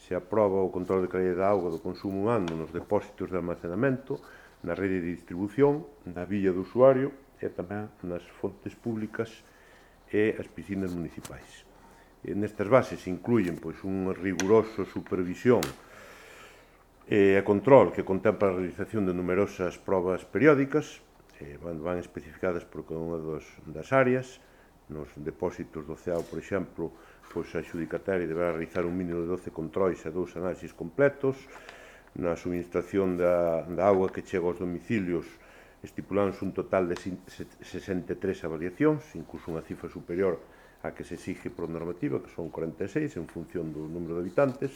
Se aproba o control de calidad da auga do consumo humano nos depósitos de almacenamento, na rede de distribución, na vía do usuario e tamén nas fontes públicas e as piscinas municipais. Nestas bases se incluyen unha rigurosa supervisión e control que contempla a realización de numerosas probas periódicas, van especificadas por cada unha das áreas. Nos depósitos do CEAO, por exemplo, a adxudicataria deberá realizar un mínimo de 12 controis e 2 análisis completos. Na suministración da auga que chega aos domicilios estipulándose un total de 63 avaliacións, incluso unha cifra superior á que se exige por normativa, que son 46, en función do número de habitantes.